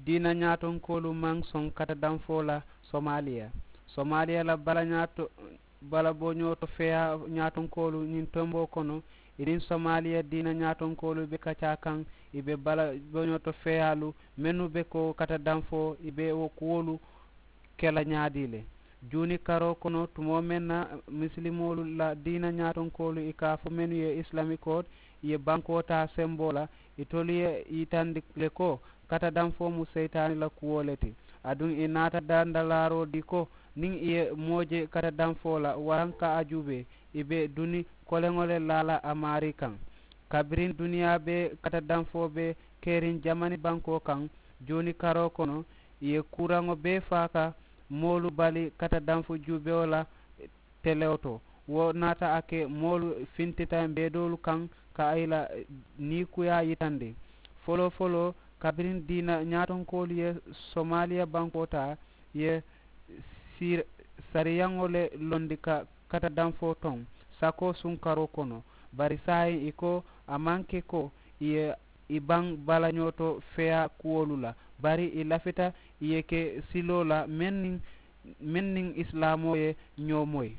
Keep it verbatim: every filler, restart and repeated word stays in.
Diina ñaatonkoolu maŋ soŋ kata danfoo la somaaliya. Somaaliya la bala ñaato bala boñoo to feyaa ñaatonkoolu ñiŋ tomboo kono i niŋ somaaliya diina ñaatonkoolu be kacaa kaŋ. I be bala boñoo to feyaalu mennu be ko kata danfoo i be wo kuwolu ke la ñaadii le. Juuni karoo kono tumoo meŋ na misilimoolu la diina ñaatonkoolu i ka a fo mennu ye isilamikoo ye bankoo taa semboo la, itolu ye yitandi le ko kata danfoo mu seyitaani la kuwo le ti. Aduŋ i naata dandalaaroo dii ko niŋ i ye moo je kata danfoo la waraŋ ka a juubee i be duni koleŋo le laa la a maarii kaŋ. Kabiriŋ duniyaa be kata danfoo be keriŋ jamani bankoo kaŋ juuni karoo kono i ye kuuraŋo bee faa ka moolu bali kata danfu juubewo la telewo to. Wo naata a ke moolu fintita mbeedoolu kaŋ ka a yi la niikuyaa yitandi. Foloo foloo kabiriŋ diina ñaatonkoolu ye somaaliya bankoo taa ye sariyaŋo le londi ka kata danfoo toŋ sakoo sunkaroo kono. Bari saayiŋ i ko a maŋ ke ko i ye i baŋ balañoo to feyaa kuwolu la, bari i lafita i ye ke siloo la meŋ niŋ meŋ niŋ isilaamoo ye ñoo moyi.